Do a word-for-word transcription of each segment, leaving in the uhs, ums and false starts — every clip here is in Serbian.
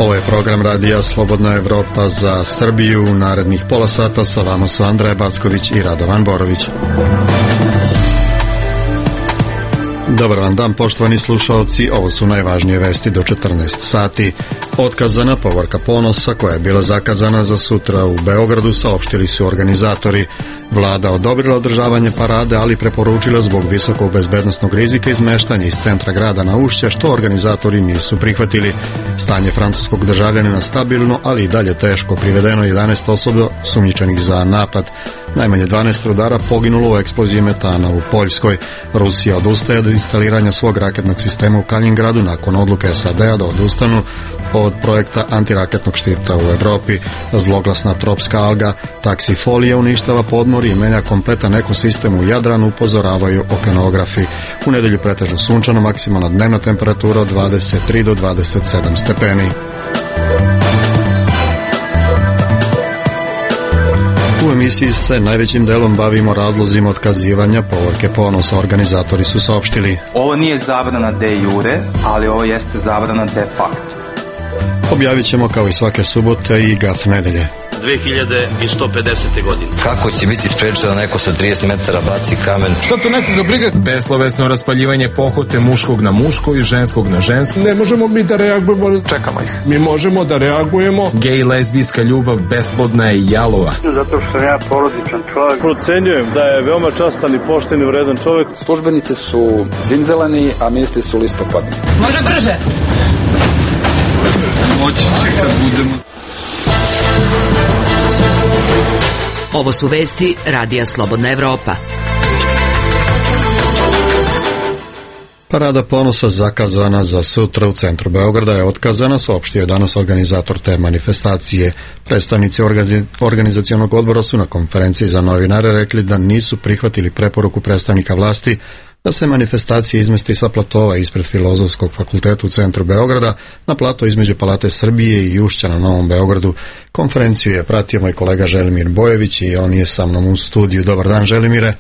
Ovo je program Radija Slobodna Evropa za Srbiju. U narednih pola sata sa vama su Andreja Backović i Radovan Borović. Dobar vam dan, poštovani slušalci. Ovo su najvažnije vesti do četrnaest sati. Otkazana povorka Ponosa, koja je bila zakazana za sutra u Beogradu, saopštili su organizatori. Vlada odobrila održavanje parade, ali preporučila zbog visokog bezbednosnog rizika izmeštanje iz centra grada na Ušće, što organizatori nisu prihvatili. Stanje francuskog državljanina stabilno, ali i dalje teško. Privedeno jedanaest osoba sumnjičenih za napad. Najmanje dvanaest rudara poginulo u eksploziji metana u Poljskoj. Rusija odustaje od instaliranja svog raketnog sistema u Kaliningradu nakon odluke S A D-a da odustanu od projekta antiraketnog štita u Evropi. Zloglasna tropska alga taksifolija uništava podmorje i menja kompletan ekosistem u Jadranu, upozoravaju okeanografi. U nedelju pretežno sunčano, maksimalna dnevna temperatura od dvadeset tri do dvadeset sedam stepeni. U emisiji se najvećim delom bavimo razlozima otkazivanja povorke Ponosa. Organizatori su saopštili: ovo nije zabrana de jure, ali ovo jeste zabrana de facto. Objavit ćemo kao i svake subote i gaf nedelje. dve hiljade sto pedesete. godine. Kako će biti sprečeno neko sa trideset metara baci kamen? Šta to nekoga briga? Beslovesno raspaljivanje pohote muškog na muško i ženskog na žensko. Ne možemo mi da reagujemo. Čekamo ih. Mi možemo da reagujemo. Gej, lezbijska ljubav besplodna je i jalova. Zato što sam ja porodičan čovjek. Procenjujem da je veoma častan i pošten i vredan čovjek. Službenice su zimzeleni, a ministri su listopadni. Može brže. Moći će kad budemo. Ovo su vesti Radija Slobodna Evropa. Parada Ponosa zakazana za sutra u centru Beograda je otkazana, saopštio je danas organizator te manifestacije. Predstavnici organizacionog odbora su na konferenciji za novinare rekli da nisu prihvatili preporuku predstavnika vlasti da se manifestacija izmesti sa platova ispred Filozofskog fakulteta u centru Beograda na plato između Palate Srbije i Ušća na Novom Beogradu. Konferenciju je pratio moj kolega Želimir Bojević i on je sa mnom u studiju. Dobar dan, Želimire.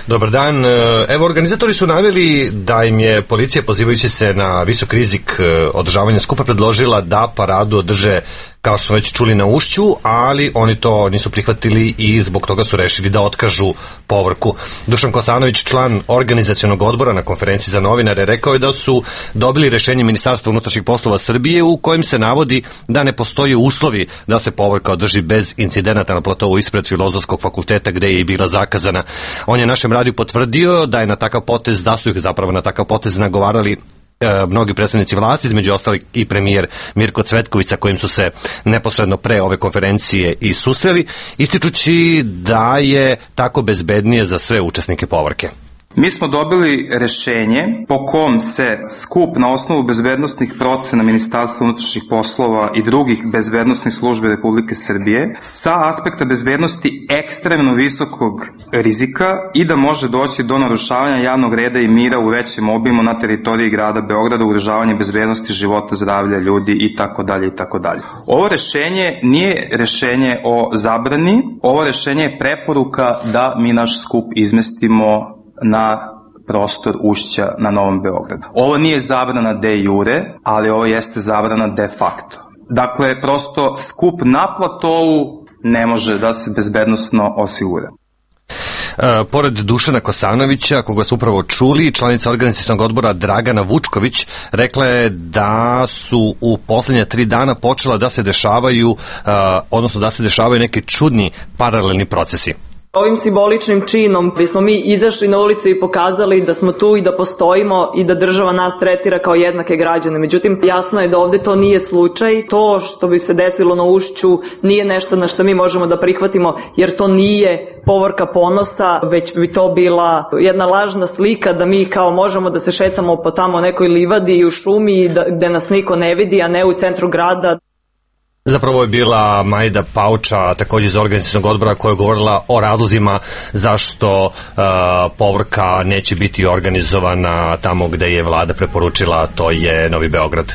Dobar dan. Evo, organizatori su naveli da im je policija, pozivajući se na visok rizik održavanja skupa, predložila da paradu održe, kao što smo već čuli, na Ušću, ali oni to nisu prihvatili i zbog toga su rešili da otkažu povorku. Dušan Kosanović, član organizacionog odbora, na konferenciji za novinare rekao je da su dobili rešenje Ministarstva unutrašnjih poslova Srbije u kojem se navodi da ne postoji uslovi da se povorka održi bez incidenata na platovu ispred Filozofskog fakulteta gde je i bila zakazana. On je našem radiju potvrdio da je na takav potez, da su ih zapravo na takav potez nagovarali e, mnogi predstavnici vlasti, između ostalih i premijer Mirko Cvetković, sa kojim su se neposredno pre ove konferencije i susreli, ističući da je tako bezbednije za sve učesnike povorke. Mi smo dobili rešenje po kom se skup na osnovu bezbednosnih procena Ministarstva unutrašnjih poslova i drugih bezbednosnih službi Republike Srbije sa aspekta bezbednosti ekstremno visokog rizika i da može doći do narušavanja javnog reda i mira u većem obimu na teritoriji grada Beograda, ugrožavanje bezbednosti života, zdravlja ljudi i tako dalje i tako dalje. Ovo rešenje nije rešenje o zabrani, ovo rešenje je preporuka da mi naš skup izmestimo na prostor Ušća na Novom Beogradu. Ovo nije zabrana de jure, ali ovo jeste zabrana de facto. Dakle, prosto skup na platovu ne može da se bezbednosno osigura. E, pored Dušana Kosanovića, koga su upravo čuli, članica organizacionog odbora Dragana Vučković rekla je da su u poslednja tri dana počela da se dešavaju, e, odnosno da se dešavaju neki čudni paralelni procesi. Ovim simboličnim činom gdje smo mi izašli na ulicu i pokazali da smo tu i da postojimo i da država nas tretira kao jednake građane. Međutim, jasno je da ovde to nije slučaj. To što bi se desilo na Ušću nije nešto na što mi možemo da prihvatimo, jer to nije povorka Ponosa, već bi to bila jedna lažna slika da mi kao možemo da se šetamo po tamo nekoj livadi i u šumi da, gde nas niko ne vidi, a ne u centru grada. Zapravo je bila Majda Pauča, također iz organizacionog odbora, koja je govorila o razlozima zašto uh, povorka neće biti organizovana tamo gde je vlada preporučila, to je Novi Beograd.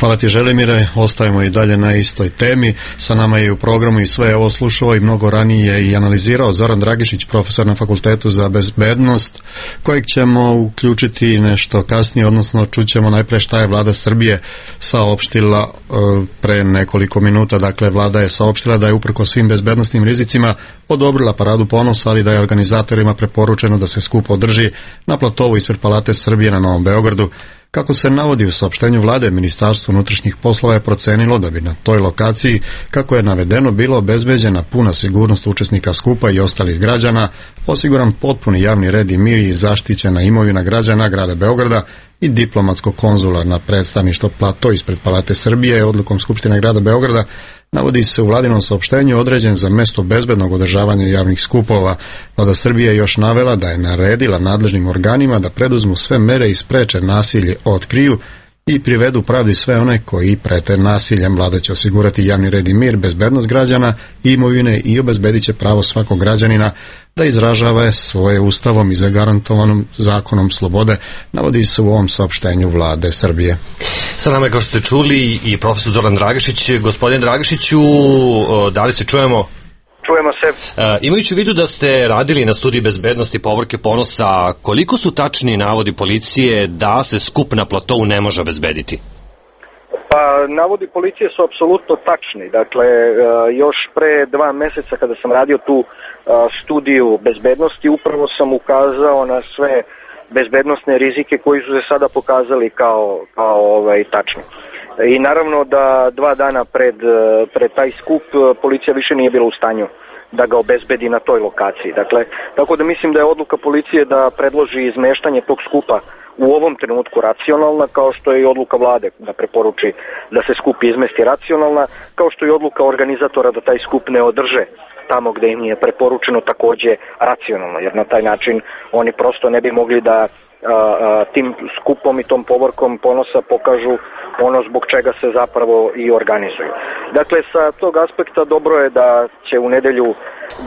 Hvala ti, Želimire. Ostajemo i dalje na istoj temi. Sa nama je u programu i sve ovo slušao i mnogo ranije i analizirao Zoran Dragišić, profesor na Fakultetu za bezbednost, kojeg ćemo uključiti nešto kasnije, odnosno čućemo najpre šta je vlada Srbije saopštila e, pre nekoliko minuta. Dakle, vlada je saopštila da je uprkos svim bezbednostnim rizicima odobrila paradu ponosa, ali da je organizatorima preporučeno da se skup održi na platovu ispred Palate Srbije na Novom Beogradu. Kako se navodi u saopštenju vlade, Ministarstvo unutrašnjih poslova je procenilo da bi na toj lokaciji, kako je navedeno, bilo obezbeđena puna sigurnost učesnika skupa i ostalih građana, osiguran potpuni javni red i mir i zaštićena imovina građana grada Beograda i diplomatsko-konzularna predstavništvo plato ispred Palate Srbije odlukom Skupštine grada Beograda. Navodi se u vladinom saopštenju određen za mesto bezbednog održavanja javnih skupova. Vlada Srbije je još navela da je naredila nadležnim organima da preduzmu sve mere i spreče nasilje, otkriju i privedu pravdi sve one koji prete nasiljem. Vlada će osigurati javni red i mir, bezbednost građana i imovine i obezbedit će pravo svakog građanina da izražava svoje ustavom i zagarantovanom zakonom slobode, navodi se u ovom saopštenju vlade Srbije. Sa nama je, kao što ste čuli, i profesor Zoran Dragišić. Gospodin Dragišiću, da li se čujemo? Čujemo se. E, imajući u vidu da ste radili na studiji bezbednosti Povorke Ponosa, koliko su tačni navodi policije da se skup na platovu ne može obezbediti? Pa, navodi policije su apsolutno tačni. Dakle, još pre dva meseca kada sam radio tu studiju bezbednosti, upravo sam ukazao na sve bezbednosne rizike koji su se sada pokazali kao, kao ovaj, tačni. I naravno da dva dana pred, pred taj skup policija više nije bila u stanju da ga obezbedi na toj lokaciji. Dakle, tako da mislim da je odluka policije da predloži izmeštanje tog skupa u ovom trenutku racionalna, kao što je i odluka vlade da preporuči da se skup izmesti racionalna, kao što je odluka organizatora da taj skup ne održe tamo gde im je preporučeno takođe racionalno, jer na taj način oni prosto ne bi mogli da a, a, tim skupom i tom povorkom ponosa pokažu ono zbog čega se zapravo i organizuju. Dakle, sa tog aspekta dobro je da će u nedelju,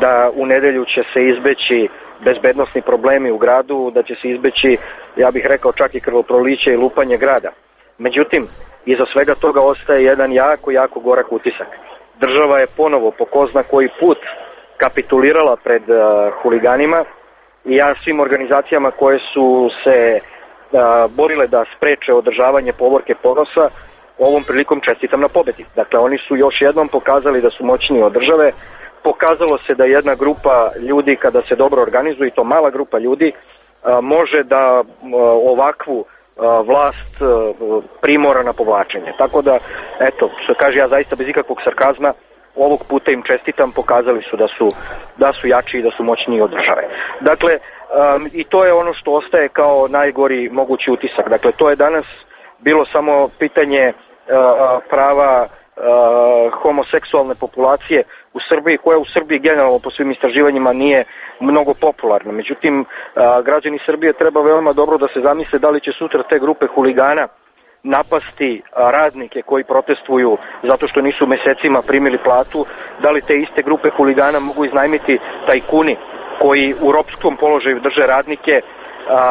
da u nedelju će se izbeći bezbednosni problemi u gradu, da će se izbeći, ja bih rekao, čak i krvoproliće i lupanje grada. Međutim, iza svega toga ostaje jedan jako, jako gorak utisak. Država je ponovo po ko zna koji put kapitulirala pred uh, huliganima i ja svim organizacijama koje su se uh, borile da spreče održavanje Povorke Ponosa ovom prilikom čestitam na pobedi. Dakle, oni su još jednom pokazali da su moćniji od države. Pokazalo se da jedna grupa ljudi, kada se dobro organizuje, i to mala grupa ljudi, uh, može da uh, ovakvu vlast primora na povlačenje. Tako da, eto, što kaže, ja zaista bez ikakvog sarkazma ovog puta im čestitam, pokazali su da su, da su jači i da su moćniji od države. Dakle, um, i to je ono što ostaje kao najgori mogući utisak. Dakle, to je danas bilo samo pitanje uh, prava uh, homoseksualne populacije u Srbiji, koja u Srbiji generalno po svim istraživanjima nije mnogo popularna. Međutim, građani Srbije treba veoma dobro da se zamisle da li će sutra te grupe huligana napasti radnike koji protestuju zato što nisu mesecima primili platu, da li te iste grupe huligana mogu iznajmiti tajkuni koji u ropskom položaju drže radnike,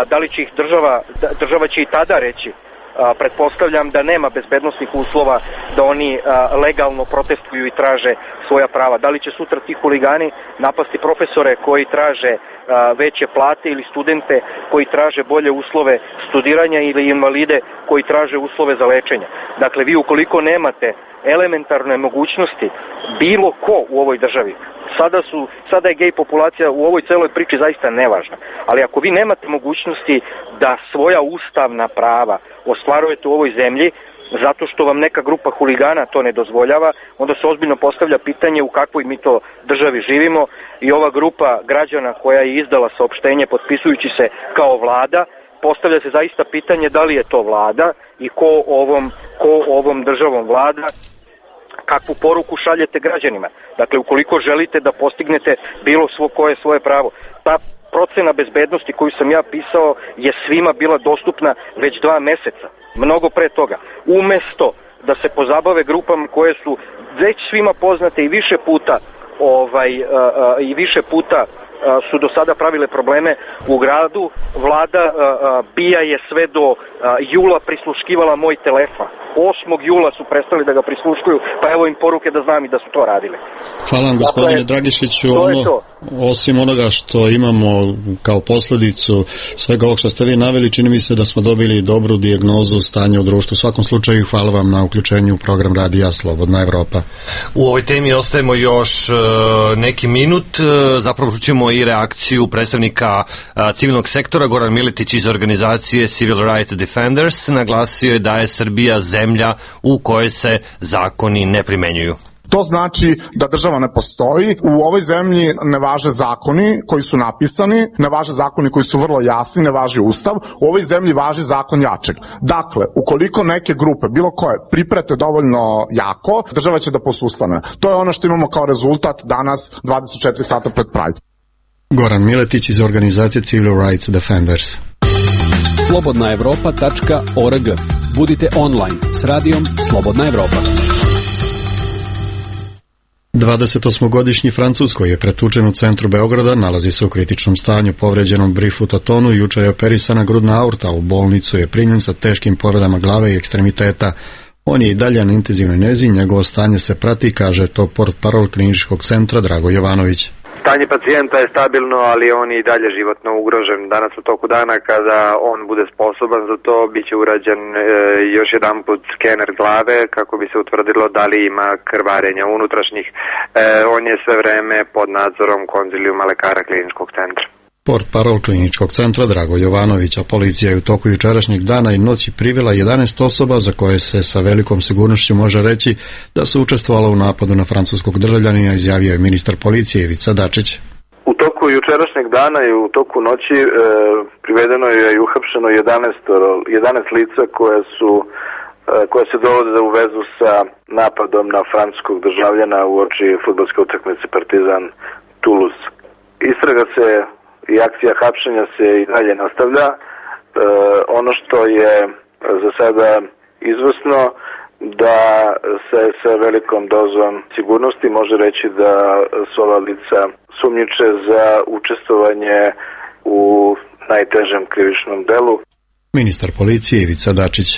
da li će ih država, država će i tada reći, A, pretpostavljam da nema bezbednosnih uslova da oni a, legalno protestuju i traže svoja prava. Da li će sutra ti huligani napasti profesore koji traže a, veće plate ili studente koji traže bolje uslove studiranja ili invalide koji traže uslove za lečenje. Dakle, vi ukoliko nemate elementarne mogućnosti, bilo ko u ovoj državi, sada, su, sada je gej populacija u ovoj celoj priči zaista nevažna, ali ako vi nemate mogućnosti da svoja ustavna prava ostvarujete u ovoj zemlji, zato što vam neka grupa huligana to ne dozvoljava, onda se ozbiljno postavlja pitanje u kakvoj mi to državi živimo i ova grupa građana koja je izdala saopštenje potpisujući se kao vlada, postavlja se zaista pitanje da li je to vlada i ko ovom, ko ovom državom vlada, kakvu poruku šaljete građanima. Dakle, ukoliko želite da postignete bilo svo koje svoje pravo, ta procena bezbednosti koju sam ja pisao je svima bila dostupna već dva meseca, mnogo pre toga. Umesto da se pozabave grupama koje su već svima poznate i više puta ovaj a, a, i više puta a, su do sada pravile probleme u gradu, vlada a, a, bija je sve do a, jula prisluškivala moj telefon. osmog jula su prestali da ga prisluškuju, pa evo im poruke da znam i da su to radili. Hvala vam, gospodine dakle, Dragišiću. Ono, osim onoga što imamo kao posledicu svega ovog što ste vi naveli, čini mi se da smo dobili dobru dijagnozu stanja u društvu. U svakom slučaju, hvala vam na uključenju u program Radija Slobodna Evropa. U ovoj temi ostajemo još uh, neki minut. Uh, zapravo čućemo i reakciju predstavnika uh, civilnog sektora. Goran Miletić iz organizacije Civil Rights Defenders naglasio je da je Srbija zemlja u kojoj se zakoni ne primenjuju. To znači da država ne postoji. U ovoj zemlji ne važe zakoni koji su napisani, ne važe zakoni koji su vrlo jasni, ne važi ustav. U ovoj zemlji važi zakon jačeg. Dakle, ukoliko neke grupe, bilo koje, priprete dovoljno jako, država će da posustane. To je ono što imamo kao rezultat danas dvadeset četiri sata pred Pride. Goran Miletić iz organizacije Civil Rights Defenders. slobodna evropa tačka org. Budite online s radijom Slobodna Evropa. dvadesetosmogodišnji Francuz koji je pretučen u centru Beograda nalazi se u kritičnom stanju. Povređenom brifutotonu juče je operisana grudna aorta, u bolnicu je primljen sa teškim povredama glave i ekstremiteta. On je i dalje na intenzivnoj nezi, njegovo stanje se prati, kaže to portparol kliničkog centra Drago Jovanović. Stanje pacijenta je stabilno, ali on je i dalje životno ugrožen. Danas u toku dana, kada on bude sposoban za to, bit će urađen e, još jedan put skener glave kako bi se utvrdilo da li ima krvarenja unutrašnjih. E, on je sve vreme pod nadzorom konzilijuma lekara kliničkog centra. Portparol kliničkog centra Drago Jovanović, a policija je u toku jučerašnjeg dana i noći privela jedanaest osoba za koje se sa velikom sigurnošću može reći da su učestvovala u napadu na francuskog državljanina, izjavio je ministar policije Ivica Dačić. U toku jučerašnjeg dana i u toku noći e, privedeno je i uhapšeno jedanaest, jedanaest lica koje su e, koje se dovode u vezu sa napadom na francuskog državljana uoči fudbalske utakmice Partizan Toulouse. Istraga se i akcija hapšenja se i dalje nastavlja. E, ono što je za sada izvesno da se sa velikom dozom sigurnosti može reći da su ova lica sumnjiče za učestvovanje u najtežem krivičnom delu. Ministar policije Ivica Dačić.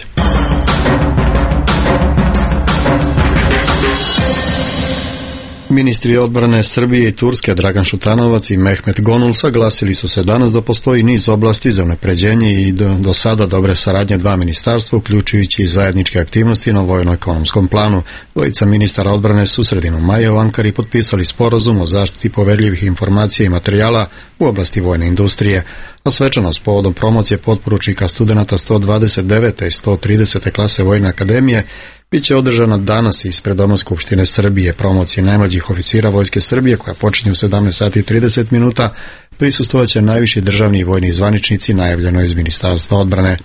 Ministri odbrane Srbije i Turske Dragan Šutanovac i Mehmet Gonul saglasili su se danas da postoji niz oblasti za unapređenje i do, do sada dobre saradnje dva ministarstva, uključujući i zajedničke aktivnosti na vojno-ekonomskom planu. Dvojica ministara odbrane su sredinom maja u Ankari potpisali sporazum o zaštiti poverljivih informacija i materijala u oblasti vojne industrije, a svečanost povodom promocije potporučnika studenata sto dvadeset devete i sto tridesete klase Vojne akademije biće održana danas ispred Doma Skupštine Srbije. Promocije najmlađih oficira Vojske Srbije, koja počinje u sedamnaest sati i trideset minuta, prisustvovaće najviši državni i vojni zvaničnici, najavljeno iz Ministarstva odbrane.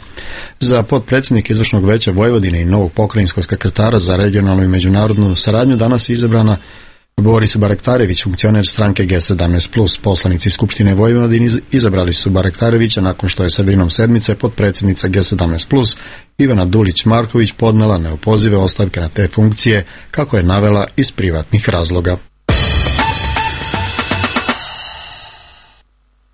Za potpredsjednik Izvršnog veća Vojvodine i novog pokrajinskog sekretara za regionalnu i međunarodnu saradnju danas je izabrana Boris Barektarević, funkcioner stranke G sedamnaest plus. Poslanici Skupštine Vojvodine izabrali su Barektarevića nakon što je sredinom sedmice potpredsjednica G sedamnaest plus Ivana Dulić-Marković podnela neopozive ostavke na te funkcije, kako je navela iz privatnih razloga.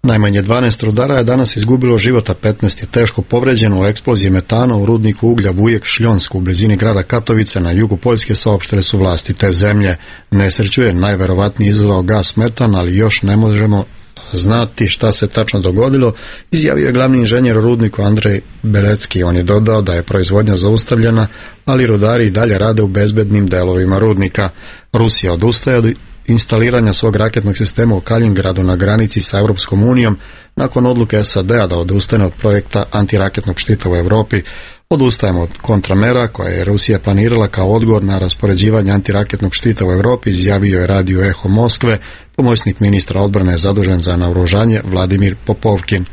Najmanje dvanaest rudara je danas izgubilo život, a petnaest je teško povređeno u eksploziji metana u rudniku uglja Vujek-Šljonsk u blizini grada Katovice na jugu Poljske, saopštile su vlasti te zemlje. Nesreću je najverovatnije izazvao gas metan, ali još ne možemo znati šta se tačno dogodilo, izjavio je glavni inženjer u rudniku Andrej Belecki. On je dodao da je proizvodnja zaustavljena, ali rudari i dalje rade u bezbednim delovima rudnika. Rusija odustaje od instaliranja svog raketnog sistema u Kalingradu na granici sa Europskom unijom nakon odluke S A D-a da odustane od projekta antiraketnog štita u Europi. Odustajemo od kontramera koje je Rusija planirala kao odgovor na raspoređivanje antiraketnog štita u Europi, izjavio je radio Eho Moskve pomoćnik ministra odbrane zadužen za naoružanje Vladimir Popovkin.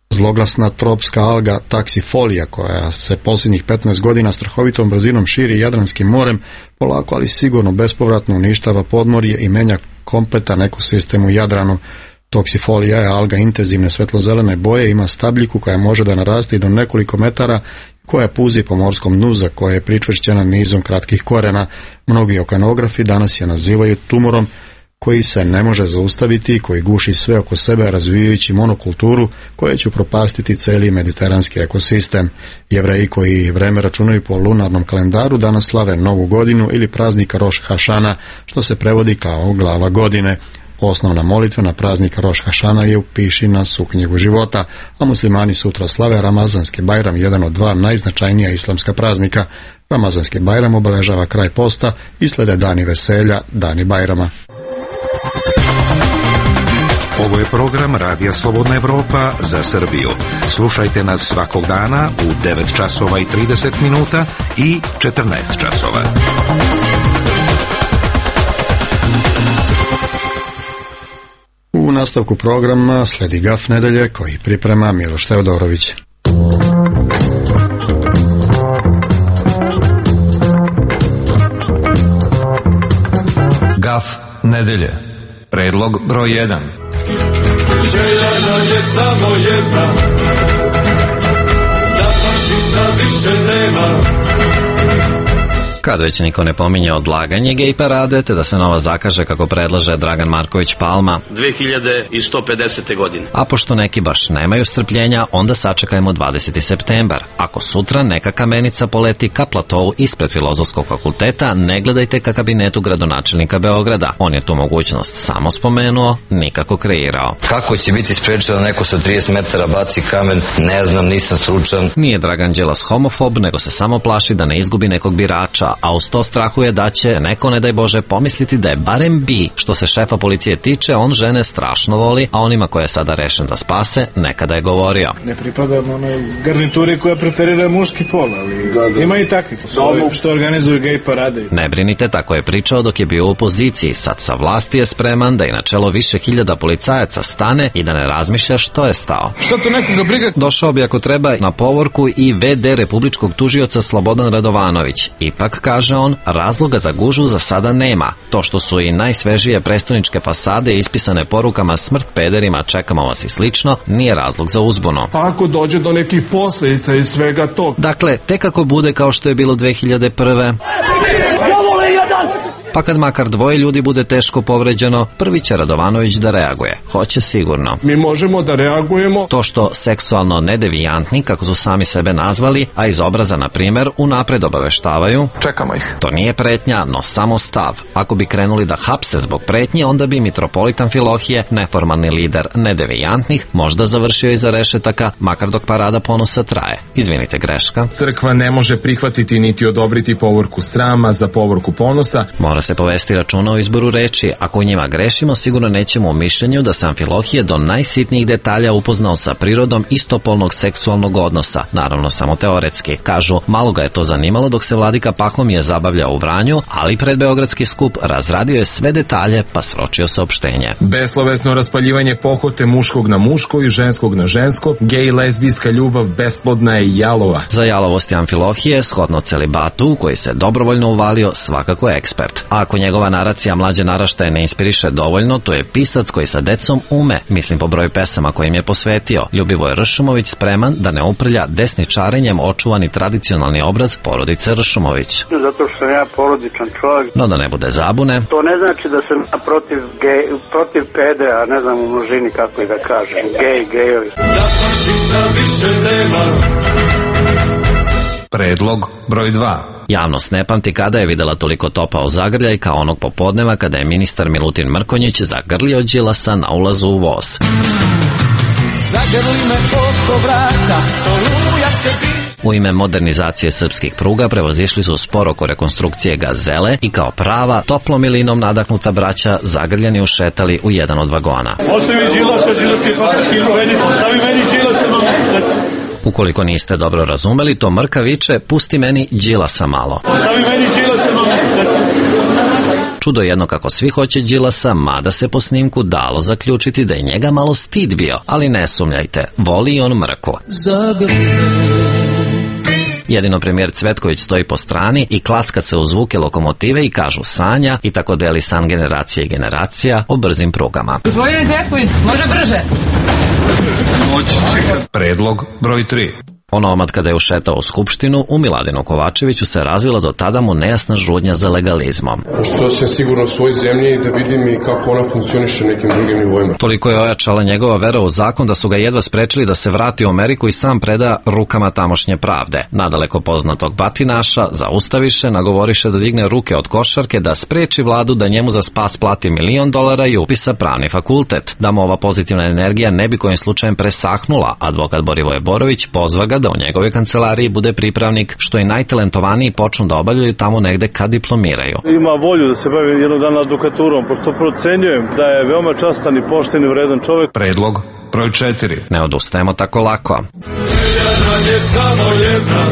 Zloglasna tropska alga taksifolija, koja se posljednjih petnaest godina strahovitom brzinom širi Jadranskim morem, polako ali sigurno bespovratno uništava podmorje i menja kompletan ekosistem u Jadranu. Toksifolija je alga intenzivne svetlozelene boje, ima stabljiku koja može da naraste i do nekoliko metara, koja puzi po morskom dnu za koje je pričvršćena nizom kratkih korena. Mnogi okeanografi danas je nazivaju tumorom koji se ne može zaustaviti i koji guši sve oko sebe razvijajući monokulturu koja će upropastiti celi mediteranski ekosistem. Jevreji koji vreme računaju po lunarnom kalendaru danas slave Novu godinu ili praznik Roš Hašana, što se prevodi kao glava godine. Osnovna molitva na praznik Roš Hašana je upiši nas u knjigu života, a muslimani sutra slave Ramazanski Bajram, jedan od dva najznačajnija islamska praznika. Ramazanski Bajram obeležava kraj posta i slede dani veselja, dani Bajrama. Ovo je program Radija Slobodna Evropa za Srbiju. Slušajte nas svakog dana u devet časova i trideset minuta i četrnaest časova. U nastavku programa sledi Gaf nedelje koji priprema Miloš Teodorović. Gaf nedelje. Predlog broj jedan. Želja nam je samo jedna, da fašista više nema. Kad već niko ne pominje odlaganje gej parade, te da se nova zakaže kako predlaže Dragan Marković Palma dve hiljade sto pedesete. godine. A pošto neki baš nemaju strpljenja, onda sačekajmo dvadeseti septembar. Ako sutra neka kamenica poleti ka platovu ispred Filozofskog fakulteta, ne gledajte ka kabinetu gradonačelnika Beograda. On je tu mogućnost samo spomenuo, nikako kreirao. Kako će biti sprečeno da neko sa trideset metara baci kamen, ne znam, nisam stručan. Nije Dragan Đilas homofob, nego se samo plaši da ne izgubi nekog birača, a uz to strahuje da će neko, ne daj Bože, pomisliti da je barem bi. Što se šefa policije tiče, on žene strašno voli, a onima koje je sada rešen da spase, nekada je govorio. Ne pripadam onoj garnituri koja preferira muški pol, ali da, da. Ima i takvih što organizuju gej parade. Ne brinite, tako je pričao dok je bio u opoziciji. Sad sa vlasti je spreman da i na čelo više hiljada policajaca stane i da ne razmišlja što je stao. Šta to nekoga briga? Došao bi ako treba na povorku i ve de republičkog tužioca Slobodan Radovanović. Ipak, kaže on, razloga za gužu za sada nema. To što su i najsvežije prestoničke fasade ispisane porukama smrt pederima, čekamo vas i slično, nije razlog za uzbunu. Pa ako dođe do nekih posljedica iz svega tog. Dakle, tek ako bude kao što je bilo dve hiljade prve. Pa kad makar dvoje ljudi bude teško povređeno, prvi će Radovanović da reaguje. Hoće sigurno. Mi možemo da reagujemo. To što seksualno nedevijantni, kako su sami sebe nazvali, a iz obraza, na primjer, unapred obaveštavaju. Čekamo ih. To nije pretnja, no samo stav. Ako bi krenuli da hapse zbog pretnje, onda bi mitropolit Amfilohije, neformalni lider nedevijantnih, možda završio iza rešetaka, makar dok parada ponosa traje. Izvinite, greška. Crkva ne može prihvatiti niti odobriti povorku srama za povorku ponosa. Mora se povesti računa o izboru reči. Ako u njima grešimo, sigurno nećemo u mišljenju da se Amfilohije do najsitnijih detalja upoznao sa prirodom istopolnog seksualnog odnosa. Naravno, samo teoretski. Kažu, malo ga je to zanimalo dok se vladika Pahomije zabavljao u Vranju, ali pred beogradski skup razradio je sve detalje pa sročio saopštenje. Beslovesno raspaljivanje pohote muškog na muško i ženskog na žensko, gej lezbijska ljubav besplodna je i jalova. Za jalovosti Amfilohije, shodno celibatu, u koji se dobrovoljno uvalio, svakako je ekspert. A ako njegova naracija mlađe naraštaje ne inspiriše dovoljno, to je pisac koji sa decom ume, mislim po broju pesama kojim je posvetio. Ljubivoj Ršumović spreman da ne uprlja desničarenjem očuvani tradicionalni obraz porodice Ršumović. Zato što sam ja porodičan čovjek. No da ne bude zabune. To ne znači da sam ja protiv, gej, protiv pede, a ne znam u množini kako je da kažem. Gej, gejovi. Da fašista više nema. Predlog broj dva. Javnost ne pamti kada je videla toliko topao zagrljaj kao onog popodneva kada je ministar Milutin Mrkonjić zagrlio Đilasa na ulazu u voz. Zagrli me oko vrata, oluja se diže. U ime modernizacije srpskih pruga prevozišli su spor oko rekonstrukcije Gazele i kao prava, toplom milinom nadahnuta braća zagrljeni ušetali u jedan od vagona. Ostavi Đilasa, Đilas je patriski povedite, ostavi meni Đilasa, Ukoliko niste dobro razumeli, to Mrka viče, pusti meni Đilasa malo. Ostavi meni Đilasa malo. Čudo jedno kako svi hoće Đilasa, mada se po snimku dalo zaključiti da je njega malo stid bio, ali ne sumnjajte, voli on Mrku. Jedino premijer Cvetković stoji po strani i klacka se u zvuke lokomotive i kažu sanja i tako deli san generacije i generacija o brzim prugama. Gospodine Cvetković, može brže? Predlog broj tri. Onomad kada je ušetao u Skupštinu, u Miladinu Kovačeviću se razvila do tada mu nejasna žudnja za legalizmom. Pošto sam sigurno u svojoj zemlji da vidim i kako ona funkcioniše nekim drugim nivoima. Toliko je ojačala njegova vera u zakon da su ga jedva sprečili da se vrati u Ameriku i sam preda rukama tamošnje pravde. Nadaleko poznatog batinaša zaustaviše, nagovoriše da digne ruke od košarke, da spreči vladu da njemu za spas plati milion dolara i upisa pravni fakultet. Da mu ova pozitivna energija ne bi kojim slučajem presahnula, advokat Borivoje Borović pozva ga da u njegovoj kancelariji bude pripravnik, što i najtalentovaniji počnu da obavljaju tamo negde kad diplomiraju. Ima volju da se bavi jednog dana advokaturom, pošto procenjujem da je veoma častan i pošten i vredan čovjek. Predlog broj četiri. Ne odustajemo tako lako. Je samo jedna,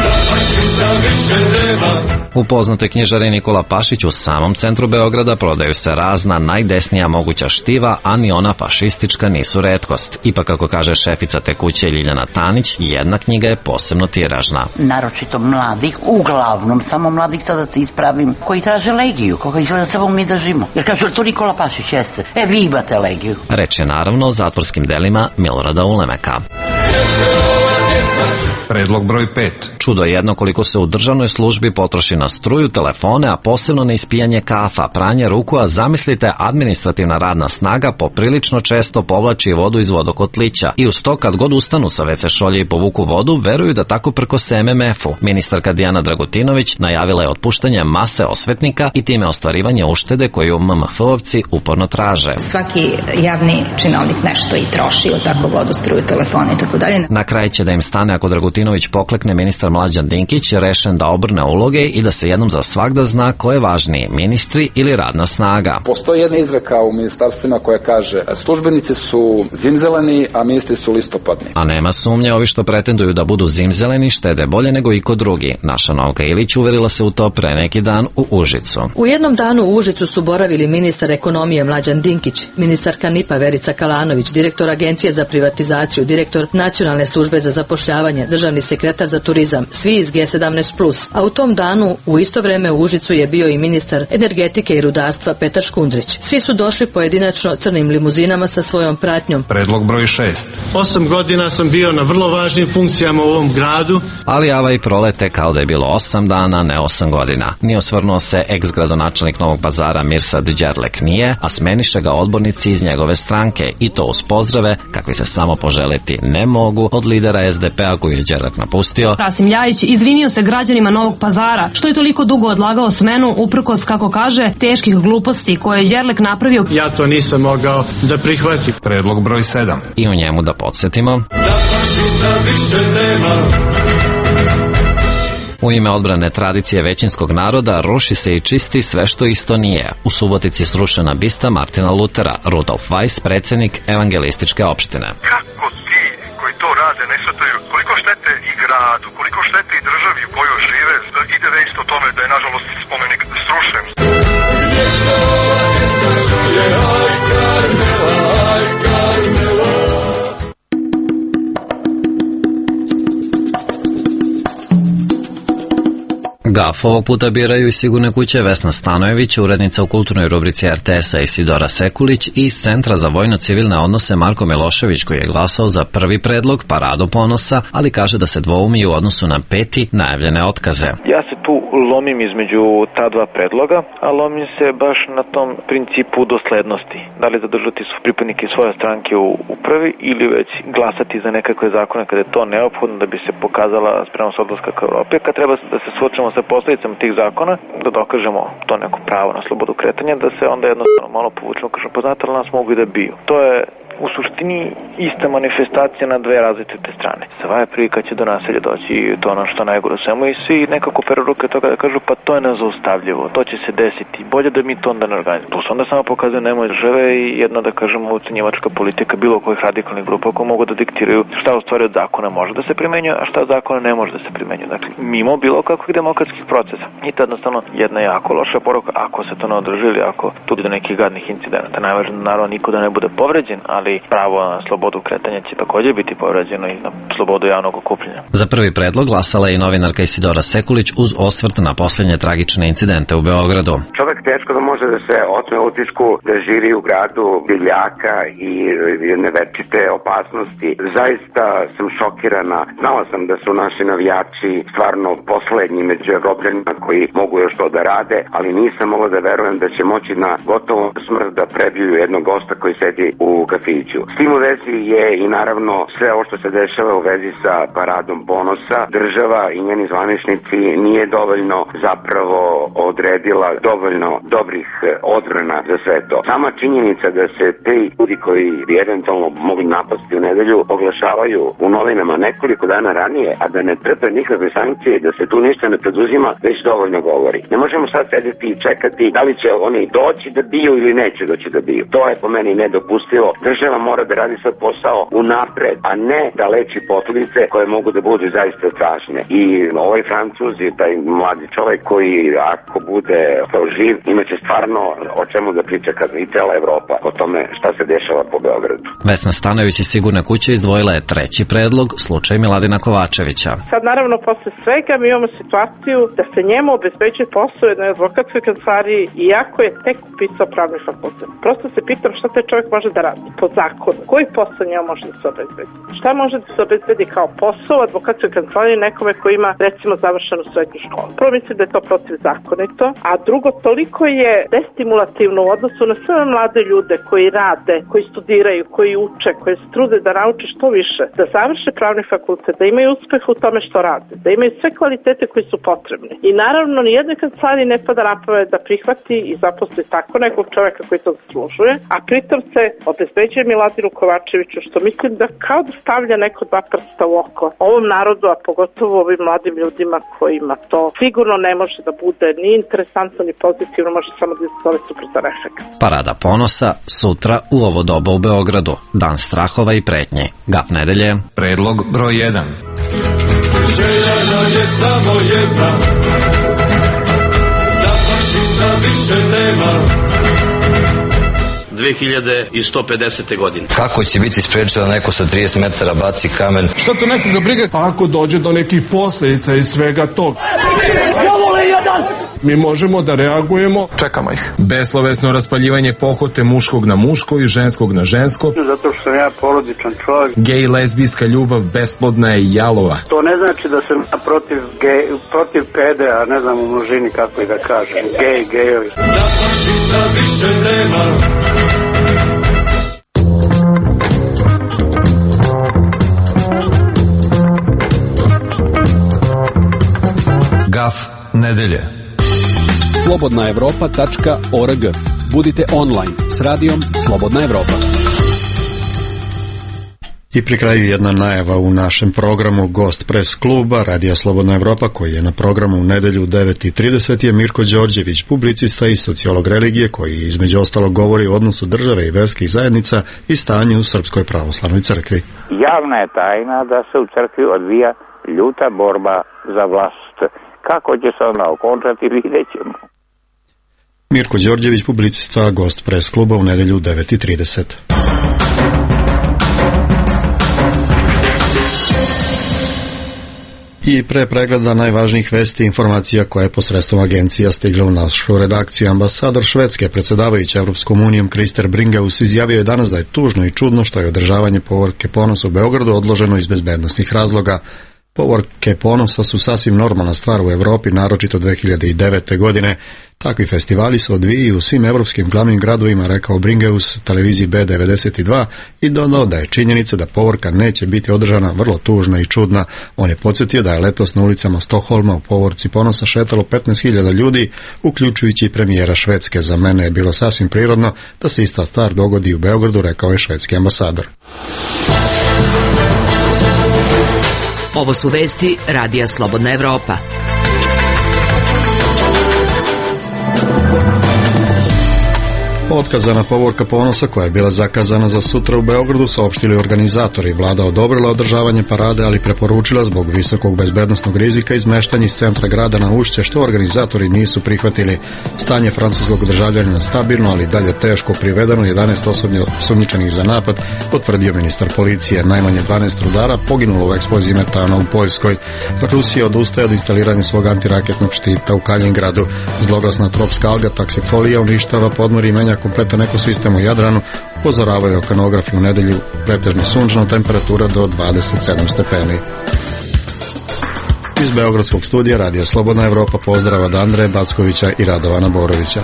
da fašista više nema. U poznatoj knjižari Nikola Pašić u samom centru Beograda prodaju se razna najdesnija moguća štiva, a ni ona fašistička nisu retkost. Ipak, kako kaže šefica te kuće Ljiljana Tanić, jedna knjiga je posebno tiražna. Naročito mladih, uglavnom samo mladih, sada se ispravim, koji traže legiju, koga izgleda samo mi držimo. Jer kažu, to Nikola Pašić jeste. E, vi imate legiju. Reč je naravno o zatvorskim delima Milorada Ulemeka. Predlog broj pet. Čudo je jedno koliko se u državnoj službi potroši na struju, telefone, a posebno na ispijanje kafa, pranje ruku, a zamislite, administrativna radna snaga poprilično često povlači vodu iz vodokotlića i uz to kad god ustanu sa ve ce šolje i povuku vodu, veruju da tako prkose em em efu. Ministarka Dijana Dragutinović najavila je otpuštanje mase osvetnika i time ostvarivanje uštede koju em em efovci uporno traže. Svaki javni činovnik nešto i troši od tako vodu, struju, telefone i tako dalje. Na kraj će da im stane ako Dragutinović poklekne ministar Mlađan Dinkić, rešen da obrne uloge i da se jednom za svagda zna ko je važniji, ministri ili radna snaga. Postoji jedna izreka u ministarstvima koja kaže službenici su zimzeleni, a ministri su listopadni. A nema sumnje, ovi što pretenduju da budu zimzeleni štede bolje nego iko drugi. Naša Novka Ilić uverila se u to pre neki dan u Užicu. U jednom danu u Užicu su boravili ministar ekonomije Mlađan Dinkić, ministarka en i pe Verica Kalanović, direktor Agencije za privatizaciju, direktor Nacionalne službe za zapošljavanje, državni sekretar za turizam, svi iz ge sedamnaest plus. A u tom danu u isto vreme u Užicu je bio i ministar energetike i rudarstva Petar Škundrić. Svi su došli pojedinačno crnim limuzinama sa svojom pratnjom. Predlog broj šest. Osam godina sam bio na vrlo važnim funkcijama u ovom gradu. Ali ava i prolete kao da je bilo osam dana, ne osam godina. Nije osvrnuo se ex-gradonačelnik Novog Pazara Mirsad Đerlek nije, a smeniše ga odbornici iz njegove stranke i to uz pozdrave kakvi se samo poželiti ne mogu od lidera es de pe a koju je Đerlek napustio. Rasim Ljajić izvinio se građanima Novog Pazara što je toliko dugo odlagao smenu uprkos, kako kaže, teških gluposti koje je Đerlek napravio. Ja to nisam mogao da prihvatim. Predlog broj sedam. I u njemu da podsjetimo. Da fašista više nema. U ime odbrane tradicije većinskog naroda ruši se i čisti sve što isto nije. U Subotici srušena bista Martina Lutera, Rudolf Weiss, predsjednik evangelističke opštine. Kako ti koji to rade ne shvataju koliko štete i gradu, koliko štete i državi u kojoj žive, ide već o tome da je nažalost spomenik srušen. Gaf ovog puta biraju i sigurne kuće Vesna Stanojević, urednica u kulturnoj rubrici er te es a Isidora Sekulić i iz Centra za vojno-civilne odnose Marko Milošević, koji je glasao za prvi predlog Paradu ponosa, ali kaže da se dvoumi u odnosu na peti najavljene otkaze. Ja se tu lomim između ta dva predloga, a lomim se baš na tom principu doslednosti. Da li zadržati su pripadnike svoje stranke u upravi ili već glasati za nekakve zakone kada je to neophodno da bi se pokazala spremnost odlaska ka Evropi. Kad treba da se suočimo sa posledicama tih zakona, da dokažemo to neko pravo na slobodu kretanja, da se onda jednostavno malo povučemo, kažemo, pa znate li nas mogu i da biju. To je u suštini ista manifestacija na dve različite strane. Sva je prilika će do naselja doći i to ono što najgore u svemu i svi nekako peru ruke toga da kažu pa to je nezaustavljivo, to će se desiti, bolje da mi to onda ne organizujemo. Tu se onda samo pokazuje nemoj države i jedna da kažemo ucenjivačka politika bilo kojih radikalnih grupa koji mogu da diktiraju šta u stvari od zakona može da se primenjuje, a šta od zakona ne može da se primenjuje. Dakle, mimo bilo kakvih demokratskih procesa. I to jednostavno jedna jako loša poruka ako se to ne održi ili ako tu do nekih gadnih incidenata. Najvažnije naravno niko da ne bude povređen, ali ali pravo na slobodu kretanja će također biti povređeno i na slobodu javnog okupljanja. Za prvi predlog glasala je i novinarka Isidora Sekulić uz osvrt na posljednje tragične incidente u Beogradu. Čovjek teško da može da se otme utisku da živi u gradu divljaka i nevečite opasnosti. Zaista sam šokirana. Znala sam da su naši navijači stvarno poslednji među Evropljanima koji mogu još to da rade, ali nisam mogla da verujem da će moći na gotovu smrt da prebiju jednog gosta koji sedi u kafiću. S tim u vezi je i naravno sve ovo što se dešava u vezi sa paradom ponosa. Država i njeni zvaničnici nije dovoljno zapravo odredila dovoljno dobrih odbrana za sve to. Sama činjenica da se ti ljudi koji bi eventualno mogli napasti u nedelju oglašavaju u novinama nekoliko dana ranije, a da ne trpe nikakve sankcije, da se tu ništa ne preduzima, već dovoljno govori. Ne možemo sad sedeti i čekati da li će oni doći da biju ili neće doći da biju. To je po meni nedopustivo. Država mora da radi svoj posao unapred, a ne da leči posljedice koje mogu da budu zaista strašne. I ovaj Francuz i taj mladi čovjek koji ako bude živ, imaće stvarno o čemu da priča kad i cela Evropa o tome šta se dešava po Beogradu. Vesna Stanović iz Sigurne kuće izdvojila je treći predlog, slučaj Miladina Kovačevića. Sad naravno posle svega mi imamo situaciju da se njemu obezbeđuje posao u jednoj advokatskoj kancelariji iako je tek upisao pravni fakultet. Prosto se pitam šta taj čovjek može da radi po zakonu. Koji posao njemu može da se obezbedi? Šta može da se obezbedi kao posao u advokatskoj kancelariji nekome koji ima recimo završenu srednju školu? Prvo mislim da je to protivzakonito, a drugo toliko je destimulativno u odnosu na sve mlade ljude koji rade, koji studiraju, koji uče, koji se trude da nauče što više, da završe pravni fakultet, da imaju uspeh u tome što rade, da imaju sve kvalitete koji su potrebni. I naravno nijednoj kancelariji ne pada na pamet da prihvati i zaposli tako nekog čovjeka koji to zaslužuje, a pritom se obezbeđuje Miladinu Kovačeviću, što mislim da kao da stavlja neko dva prsta u oko ovom narodu, a pogotovo ovim mladim ljudima kojima to sigurno ne može da bude ni interesantno ni pozitivno, može samo da izazove suprotan efekt. Parada ponosa sutra u ovo doba u Beogradu, dan strahova i pretnje. Gap nedelje. Predlog broj jedan. Želja nam je samo jedna, da fašista više nema. dve hiljade sto pedesete. godine. Kako će biti sprečeno neko sa trideset metara baci kamen? Šta to nekoga briga ako dođe do nekih posljedica iz svega toga? Mi možemo da reagujemo. Čekamo ih. Beslovesno raspaljivanje pohote muškog na muško i ženskog na žensko. Zato što sam ja porodičan čovjek. Gej lezbijska ljubav besplodna je i jalova. To ne znači da sam protiv, gej, protiv pede, a ne znam u množini kako i da kažem. Gej, gejovi. Da fašista više nema. Gaf nedelje. slobodna evropa tačka org. Budite online s radijom Slobodna Evropa. I pri kraju jedna najava u našem programu. Gost pres kluba Radija Slobodna Evropa koji je na programu u nedelju u devet i trideset je Mirko Đorđević, publicista i sociolog religije koji između ostalog govori o odnosu države i verskih zajednica i stanju u Srpskoj pravoslavnoj crkvi. Javna je tajna da se u crkvi odvija ljuta borba za vlast. Kako će se ona okončati, vidjet ćemo. Mirko Đorđević, publicista, gost pres kluba u nedelju u devet i trideset. I pre pregleda najvažnijih vesti informacija koja je posredstvom agencija stigla u našu redakciju. Ambasador Švedske, predsjedavajući Evropskom unijom Krister Bringeus, izjavio je danas da je tužno i čudno što je održavanje povorke ponosa u Beogradu odloženo iz bezbednosnih razloga. Povorke ponosa su sasvim normalna stvar u Evropi, naročito dve hiljade devete. godine. Takvi festivali se odvijaju u svim evropskim glavnim gradovima, rekao Bringeus televiziji B devedeset dva i dodao da je činjenica da povorka neće biti održana vrlo tužna i čudna. On je podsjetio da je letos na ulicama Stokholma u povorci ponosa šetalo petnaest hiljada ljudi, uključujući i premijera Švedske. Za mene je bilo sasvim prirodno da se ista stvar dogodi u Beogradu, rekao je švedski ambasador. Ovo su vesti Radija Slobodna Evropa. Otkazana povorka ponosa koja je bila zakazana za sutra u Beogradu saopštili organizatori. Vlada odobrila održavanje parade, ali preporučila zbog visokog bezbednosnog rizika izmeštanje iz centra grada na Ušće, što organizatori nisu prihvatili. Stanje francuskog državljanina stabilno, ali dalje teško, privedeno jedanaest osobno sumnjičenih za napad, potvrdio ministar policije. Najmanje dvanaest rudara poginulo u eksploziji metana u Poljskoj. Rusija odustaje od instaliranja svog antiraketnog štita u Kalingradu. Zloglasna tropska alga taksifolija uništava podmorje i menja kompletan ekosistem u Jadranu, upozoravaju okeanografi. U nedelju pretežno sunčano, temperatura do dvadeset sedam stepeni. Iz Beogradskog studija Radija Slobodna Evropa pozdrav od Andreja Backovića i Radovana Borovića.